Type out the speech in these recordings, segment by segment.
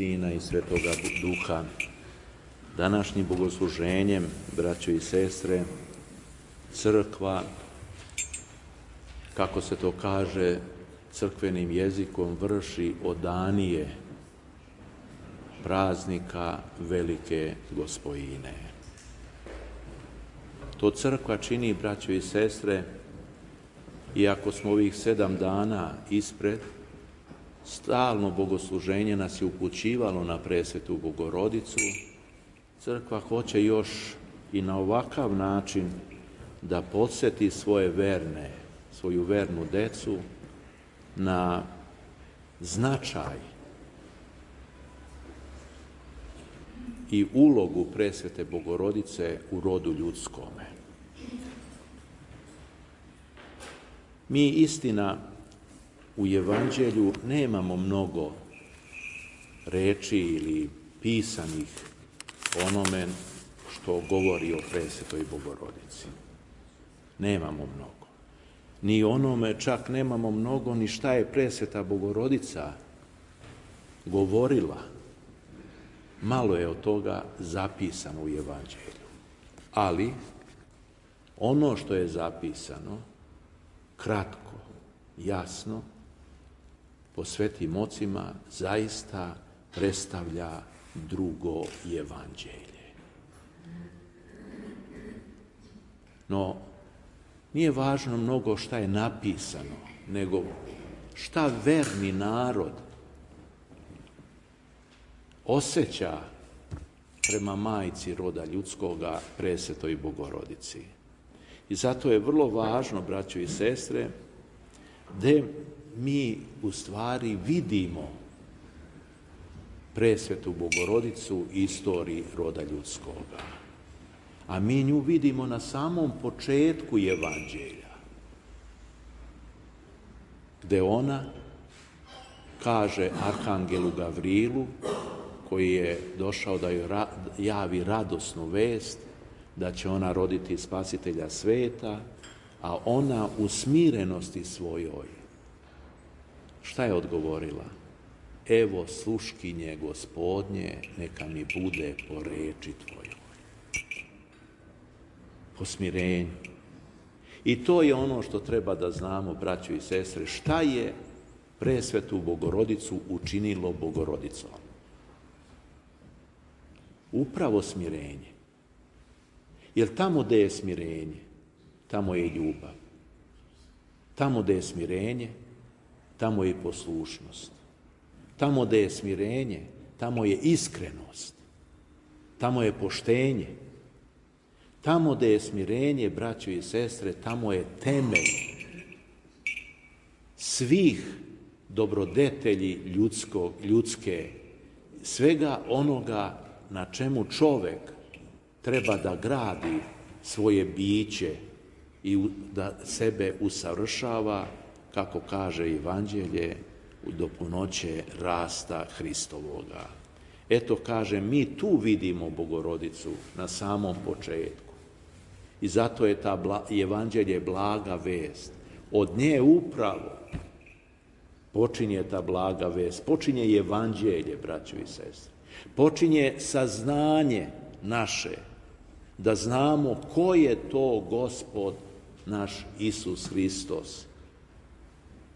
Sina i Svetoga Duha. Današnjim bogosluženjem, braćo i sestre, crkva, kako se to kaže crkvenim jezikom, vrši odanije praznika Velike Gospojine. To crkva čini, braćo i sestre, iako smo ovih 7 dana ispred, stalno bogosluženje nas je upućivalo na presvetu Bogorodicu. Crkva hoće još i na ovakav način da podsjeti svoju vernu decu na značaj i ulogu presvete Bogorodice u rodu ljudskome. Mi, istina, u Evanđelju nemamo mnogo reči ili pisanih onome što govori o presvetoj Bogorodici. Nemamo mnogo. Ni onome čak nemamo mnogo ni šta je presveta Bogorodica govorila. Malo je od toga zapisano u Evanđelju. Ali ono što je zapisano, kratko, jasno, po svetim ocima, zaista predstavlja drugo Evanđelje. No, nije važno mnogo šta je napisano, nego šta verni narod osjeća prema majci roda ljudskoga, presvetoj Bogorodici. I zato je vrlo važno, braćo i sestre, da mi u stvari vidimo presvetu Bogorodicu istoriji roda ljudskoga. A mi nju vidimo na samom početku Evanđelja, gde ona kaže arhangelu Gavrilu, koji je došao da joj javi radosnu vest da će ona roditi spasitelja sveta, a ona u smirenosti svojoj, šta je odgovorila? Evo sluškinje Gospodnje, neka mi bude po reči tvojoj. Po smirenju. I to je ono što treba da znamo, braćo i sestre, šta je presvetu Bogorodicu učinilo Bogorodicom. Upravo smirenje. Jer tamo gde je smirenje, tamo je ljubav. Tamo gde je smirenje, tamo je poslušnost. Tamo gde je smirenje, tamo je iskrenost. Tamo je poštenje. Tamo gde je smirenje, braćo i sestre, tamo je temelj svih dobrodetelji ljudske, svega onoga na čemu čovek treba da gradi svoje biće i da sebe usavršava, kako kaže Evanđelje, do punoće rasta Hristovoga. Eto, kaže, mi tu vidimo Bogorodicu na samom početku. I zato je ta Evanđelje blaga vest. Od nje upravo počinje ta blaga vest. Počinje Evanđelje, braćo i sestre. Počinje saznanje naše, da znamo ko je to Gospod naš Isus Hristos,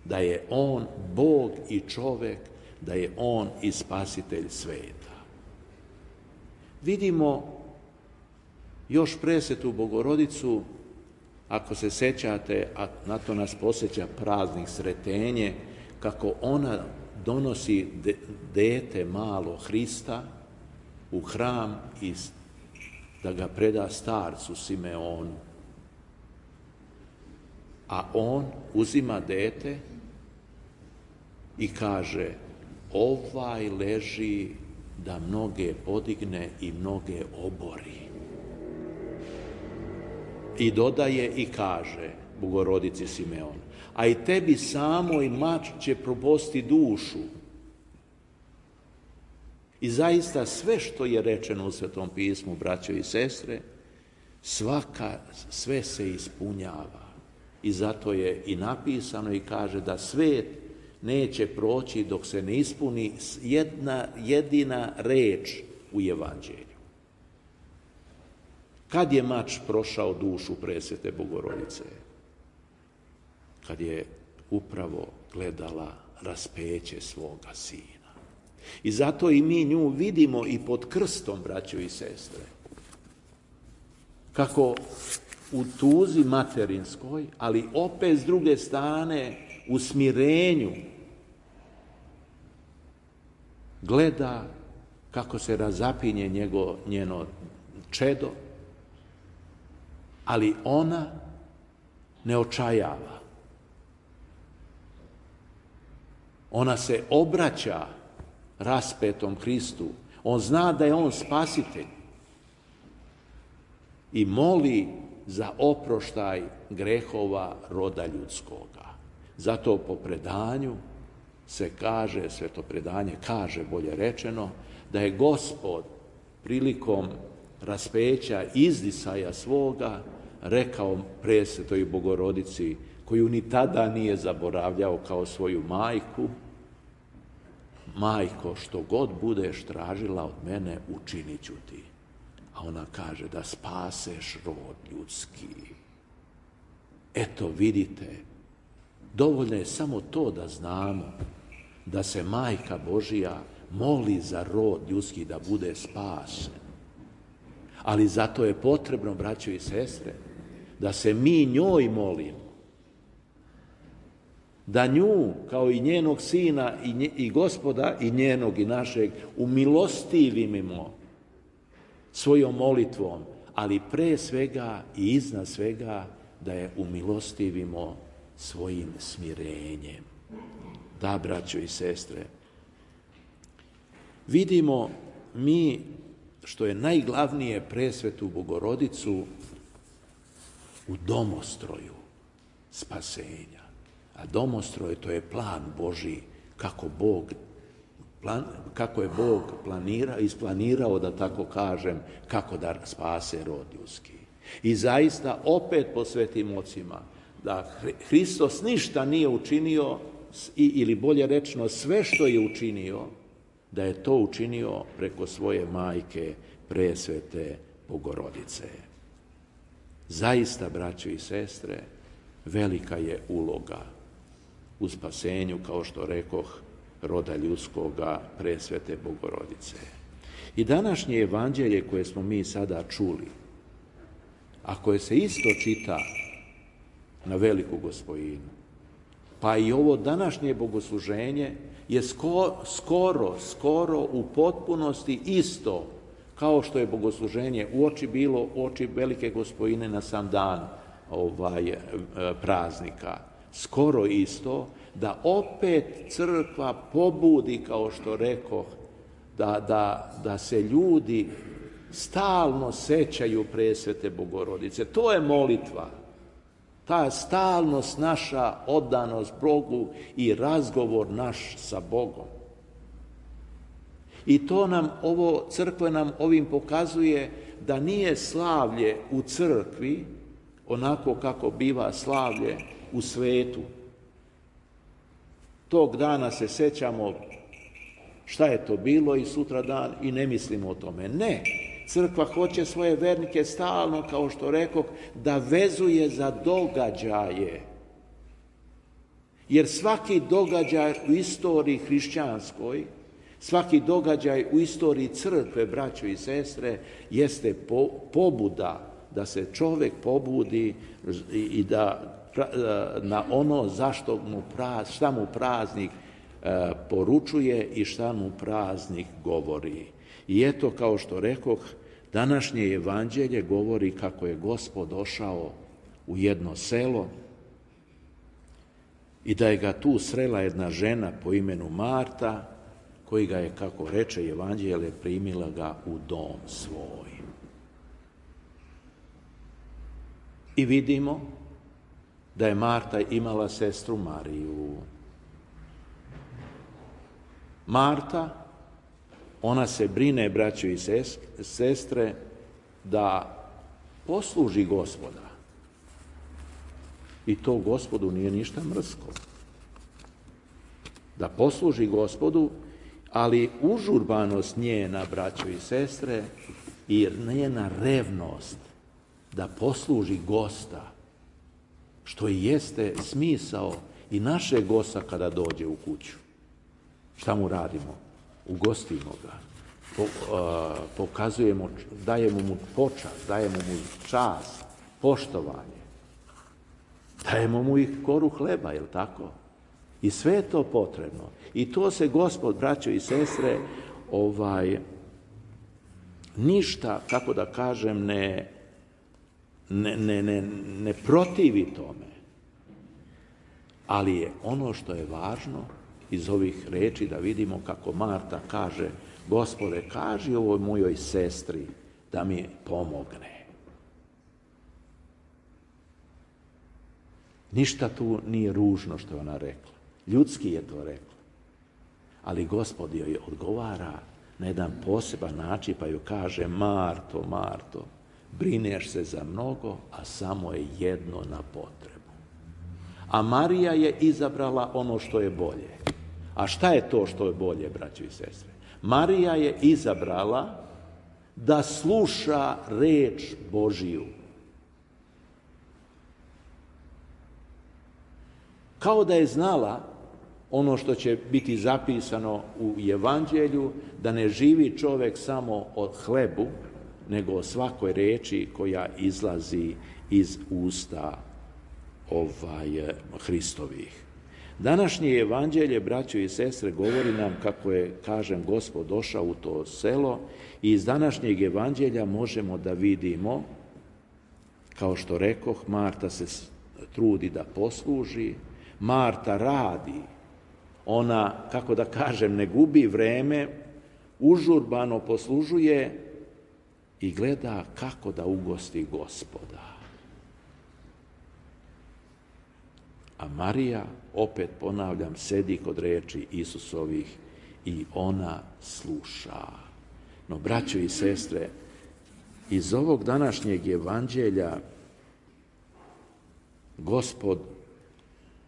da je On Bog i čovek, da je On i spasitelj sveta. Vidimo još presvetu Bogorodicu, ako se sećate, a na to nas podsjeća praznik Sretenje, kako ona donosi dete malo Hrista u hram i da ga preda starcu Simeonu. A on uzima dete i kaže, ovaj leži da mnoge podigne i mnoge obori. I dodaje i kaže Bogorodici Simeon, a i tebi samoj mač će probosti dušu. I zaista sve što je rečeno u Svetom pismu, braćo i sestre, sve se ispunjava. I zato je i napisano i kaže da svet neće proći dok se ne ispuni jedna jedina reč u Evanđelju. Kad je mač prošao dušu presvete Bogorodice? Kad je upravo gledala raspeće svoga sina. I zato i mi nju vidimo i pod krstom, braćo i sestre. Kako u tuzi materinskoj, ali opet s druge strane u smirenju gleda kako se razapinje njeno čedo, ali ona ne očajava. Ona se obraća raspetom Hristu. On zna da je on spasitelj i moli za oproštaj grehova roda ljudskoga. Zato po predanju se kaže, sveto predanje kaže, bolje rečeno, da je Gospod prilikom raspeća izdisaja svoga rekao presvetoj Bogorodici, koju ni tada nije zaboravljao kao svoju majku: majko, što god budeš tražila od mene, učinit ću ti. A ona kaže: da spaseš rod ljudski. Eto, vidite, dovoljno je samo to da znamo da se Majka Božija moli za rod ljudski da bude spašen. Ali zato je potrebno, braćo i sestre, da se mi njoj molimo. Da nju, kao i njenog sina i Gospoda, i njenog i našeg, umilostivimo svojom molitvom, ali pre svega i iznad svega da je umilostivimo svojim smirenjem. Da, braćo i sestre, vidimo mi, što je najglavnije, presvetu Bogorodicu u domostroju spasenja. A domostroj, to je plan Božji, kako je Bog isplanirao, da tako kažem, kako da spase rod ljudski. I zaista, opet po svetim ocima, da Hristos ništa nije učinio, ili bolje rečeno, sve što je učinio, da je to učinio preko svoje majke, presvete Bogorodice. Zaista, braćo i sestre, velika je uloga u spasenju, kao što rekoh, roda ljudskoga, presvete Bogorodice. I današnje evanđelje koje smo mi sada čuli, a koje se isto čita na Veliku Gospojinu, pa i ovo današnje bogosluženje je skoro u potpunosti isto kao što je bogosluženje bilo uoči Velike Gospojine na sam dan praznika. Skoro isto, da opet crkva pobudi, kao što rekoh, da se ljudi stalno sećaju presvete Bogorodice. To je molitva. Ta stalnost naša, oddanost Bogu i razgovor naš sa Bogom. I to crkva nam ovim pokazuje da nije slavlje u crkvi onako kako biva slavlje u svetu. Tog dana se sećamo šta je to bilo i sutra dan i ne mislimo o tome. Ne, crkva hoće svoje vernike stalno, kao što rekoh, da vezuje za događaje. Jer svaki događaj u istoriji hrišćanskoj, svaki događaj u istoriji crkve, braćo i sestre, jeste pobuda da se čovjek pobudi i da na ono šta mu praznik poručuje i šta mu praznik govori. I eto, kao što rekoh, današnje evanđelje govori kako je Gospod došao u jedno selo i da je ga tu srela jedna žena po imenu Marta, koji ga je, kako reče evanđelje, primila ga u dom svoj. I vidimo da je Marta imala sestru Mariju. Marta, ona se brine, braćo i sestre, da posluži Gospoda. I to Gospodu nije ništa mrsko. da posluži Gospodu, ali užurbanost njena, braćo i sestre, i njena revnost da posluži gosta, što i jeste smisao i našeg gosta kada dođe u kuću. Šta mu radimo? Ugostimo ga. Pokazujemo, dajemo mu počast, dajemo mu čast, poštovanje. Dajemo mu i koru hleba, jel tako? I sve je to potrebno. I to se Gospod, braćo i sestre, ništa, kako da kažem, ne protivi tome. Ali je ono što je važno iz ovih reči da vidimo kako Marta kaže: Gospode, kaži ovoj mojoj sestri da mi pomogne. Ništa tu nije ružno što je ona rekla. Ljudski je to rekla. Ali Gospod joj odgovara na jedan poseban način, pa joj kaže: Marto, Marto, brineš se za mnogo, a samo je jedno na potrebu. A Marija je izabrala ono što je bolje. A šta je to što je bolje, braćo i sestre? Marija je izabrala da sluša reč Božiju. Kao da je znala ono što će biti zapisano u Evanđelju, da ne živi čovjek samo od hlebu, nego o svakoj reči koja izlazi iz usta Hristovih. Današnje Evanđelje, braćo i sestre, govori nam kako je, kažem, Gospod došao u to selo, i iz današnjeg Evanđelja možemo da vidimo, kao što rekoh, Marta se trudi da posluži, Marta radi, ona, kako da kažem, ne gubi vreme, užurbano poslužuje i gleda kako da ugosti Gospoda. A Marija, opet ponavljam, sedi kod reči Isusovih i ona sluša. No, braćo i sestre, iz ovog današnjeg Evanđelja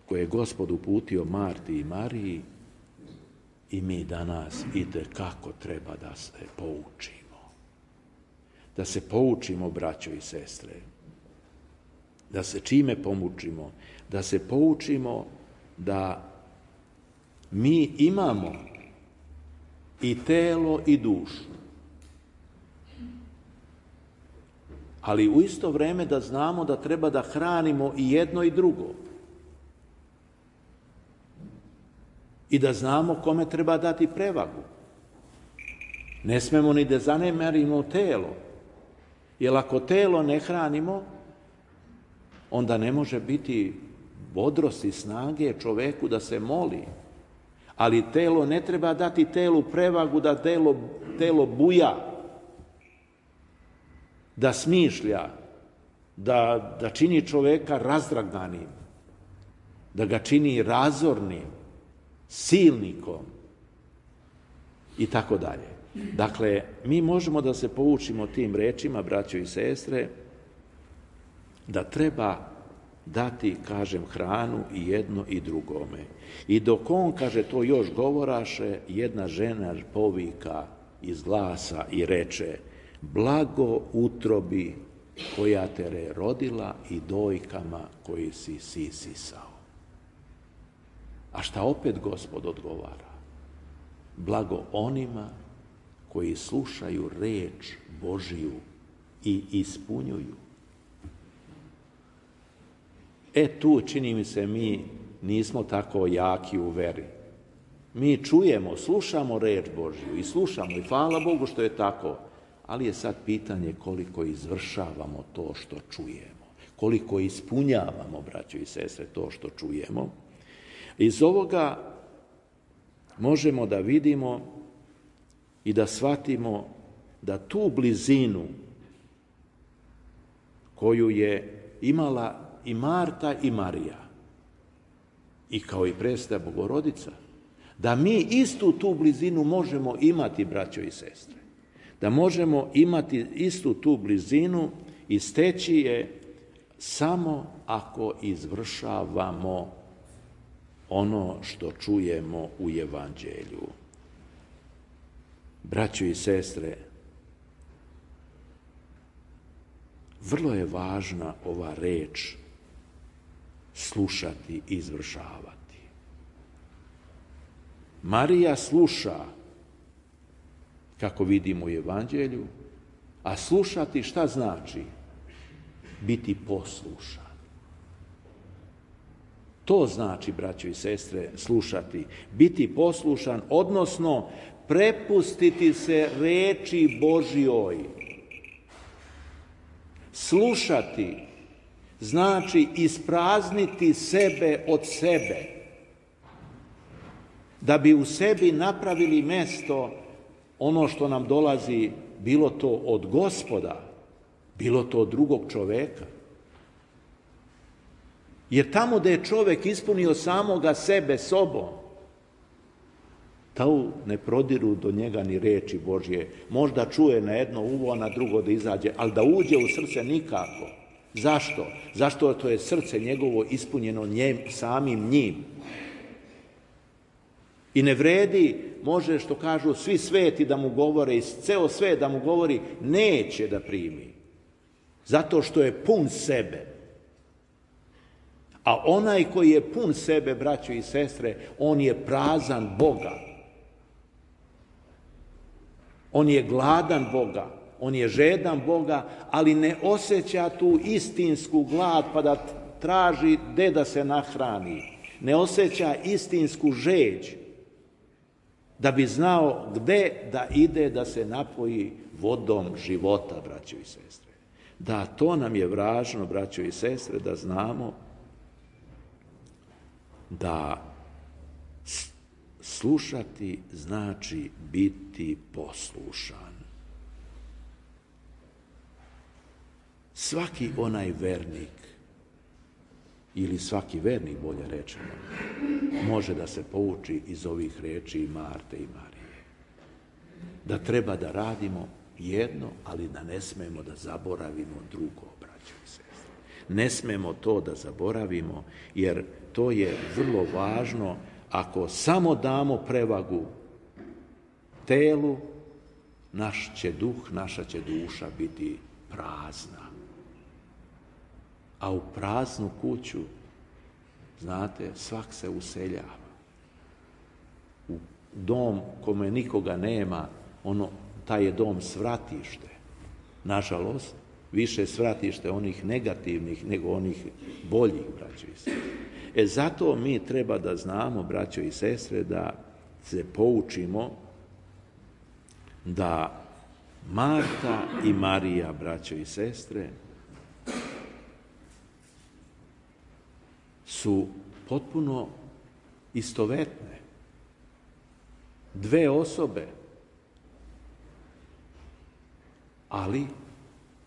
koje je Gospod uputio Marti i Mariji, i mi danas itekako treba da se poučimo. Da se poučimo, braćo i sestre. Da se čime poučimo? Da se poučimo da mi imamo i telo i dušu. Ali u isto vrijeme da znamo da treba da hranimo i jedno i drugo. I da znamo kome treba dati prevagu. Ne smemo ni da zanemarimo telo. Jer ako telo ne hranimo, onda ne može biti bodrosti, snage čoveku da se moli. Ali telo ne treba dati telu prevagu da telo buja, da smišlja, da čini čoveka razdragnanim, da ga čini razornim, silnikom i tako dalje. Dakle, mi možemo da se poučimo tim rečima, braćo i sestre, da treba dati, kažem, hranu i jedno i drugome. I dok on, kaže, to još govoraše, jedna žena povika iz glasa i reče: blago utrobi koja te rodila i dojkama koji si sisao. A šta opet Gospod odgovara? Blago onima koji slušaju reč Božiju i ispunjuju. Tu, čini mi se, mi nismo tako jaki u veri. Mi čujemo, slušamo reč Božju i slušamo, i hvala Bogu što je tako, ali je sad pitanje koliko izvršavamo to što čujemo, koliko ispunjavamo, braćo i sestre, to što čujemo. Iz ovoga možemo da vidimo i da shvatimo da tu blizinu koju je imala i Marta i Marija, i kao i presveta Bogorodica, da mi istu tu blizinu možemo imati, braćo i sestre. Da možemo imati istu tu blizinu i steći je samo ako izvršavamo ono što čujemo u Evanđelju. Braćo i sestre, vrlo je važna ova reč slušati i izvršavati. Marija sluša, kako vidimo u Evanđelju, a slušati šta znači? Biti poslušan. To znači, braćo i sestre, slušati, biti poslušan, odnosno prepustiti se reči Božjoj. Slušati znači isprazniti sebe od sebe, da bi u sebi napravili mesto ono što nam dolazi, bilo to od Gospoda, bilo to od drugog čoveka. Jer tamo da je čovek ispunio samoga sebe sobom, tu ne prodiru do njega ni reči Božje. Možda čuje na jedno uvo, a na drugo da izađe, ali da uđe u srce nikako. Zašto? Zašto to je srce njegovo ispunjeno samim njim. I ne vredi, može, što kažu, svi sveti da mu govore, i ceo svet da mu govori, neće da primi. Zato što je pun sebe. A onaj koji je pun sebe, braćo i sestre, on je prazan Boga. On je gladan Boga, on je žedan Boga, ali ne osjeća tu istinsku glad pa da traži gde da se nahrani. Ne osjeća istinsku žeđ da bi znao gde da ide da se napoji vodom života, braćo i sestre. Da, to nam je važno, braćo i sestre, da znamo da slušati znači biti poslušan. Svaki onaj vernik, ili svaki vernik, bolje rečeno, može da se pouči iz ovih reči Marte i Marije. Da treba da radimo jedno, ali da ne smemo da zaboravimo drugo, braćo i sestre. Ne smemo to da zaboravimo, jer to je vrlo važno. Ako samo damo prevagu telu, naš će duh, naša će duša biti prazna. A u praznu kuću, znate, svak se useljava. U dom kome nikoga nema, taj je dom svratište. Nažalost, više svratište onih negativnih nego onih boljih, braćo i sestre. Zato mi treba da znamo, braćo i sestre, da se poučimo da Marta i Marija, braćo i sestre, su potpuno istovetne. Dve osobe, ali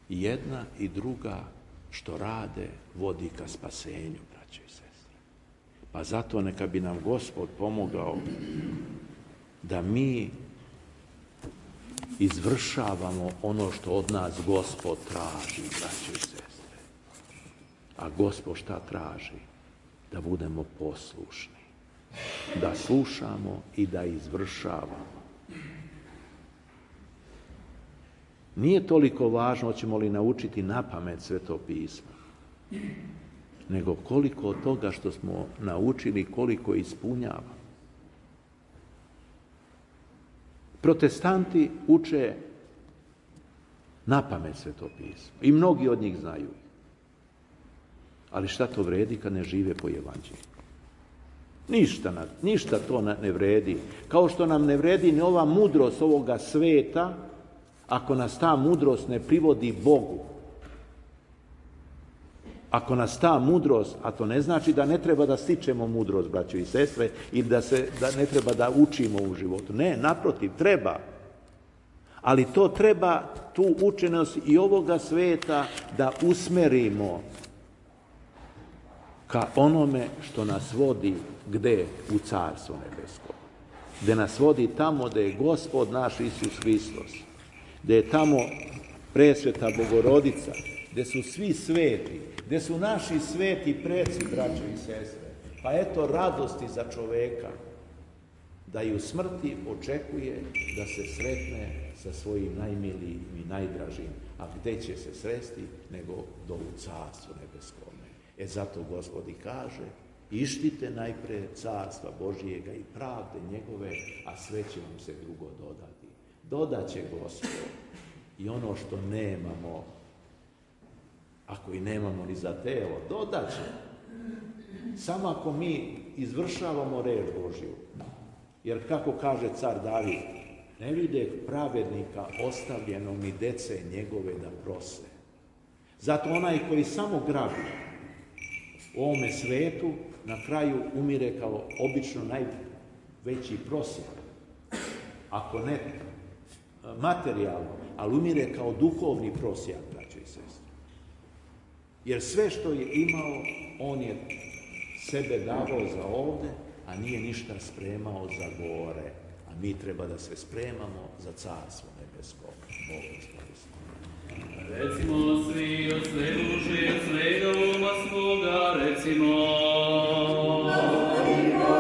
jedna i druga što rade vodi ka spasenju, braćo i sestre. Pa zato neka bi nam Gospod pomogao da mi izvršavamo ono što od nas Gospod traži, braćo i sestre. A Gospod šta traži? Da budemo poslušni, da slušamo i da izvršavamo. Nije toliko važno hoćemo li naučiti napamet Sveto pismo, nego koliko od toga što smo naučili, koliko ispunjava. Protestanti uče napamet Sveto pismo i mnogi od njih znaju. Ali šta to vredi kad ne žive po Evanđelju? Ništa to ne vredi. Kao što nam ne vredi ni ova mudrost ovoga sveta, ako nas ta mudrost ne privodi Bogu. Ako nas ta mudrost, a to ne znači da ne treba da stičemo mudrost, braćo i sestre, ili da ne treba da učimo u životu. Ne, naprotiv, treba. Ali to treba, tu učenost i ovoga sveta da usmerimo ka onome što nas vodi gde? U Carstvo nebesko. Gde nas vodi tamo gde je Gospod naš Isus Hristos. Gde je tamo presveta Bogorodica, gde su svi sveti, gde su naši sveti preci, braćo i sestre, Pa eto radosti za čoveka, da i u smrti očekuje da se sretne sa svojim najmilijim i najdražim. A gde će se sresti nego do u carstvu nebeskome. Zato Gospod i kaže, ištite najpre carstva Božijega i pravde njegove, a sve će vam se drugo dodati. Dodaće Gospod i ono što nemamo, ako i nemamo ni za telo, dodaće. Samo ako mi izvršavamo reč Božju. Jer kako kaže car David, ne vide pravednika ostavljenog ni dece njegove da prose. Zato onaj koji samo grabi u ovome svetu, na kraju umire kao obično najveći prosjak. Ako ne materijalno, ali umire kao duhovni prosjak, braćo i sestre. Jer sve što je imao, on je sebe davao za ovde, a nije ništa spremao za gore. A mi treba da se spremamo za carstvo nebesko. Bog isporisti. Recimo svi od sve duše, od svega uma svoga, recimo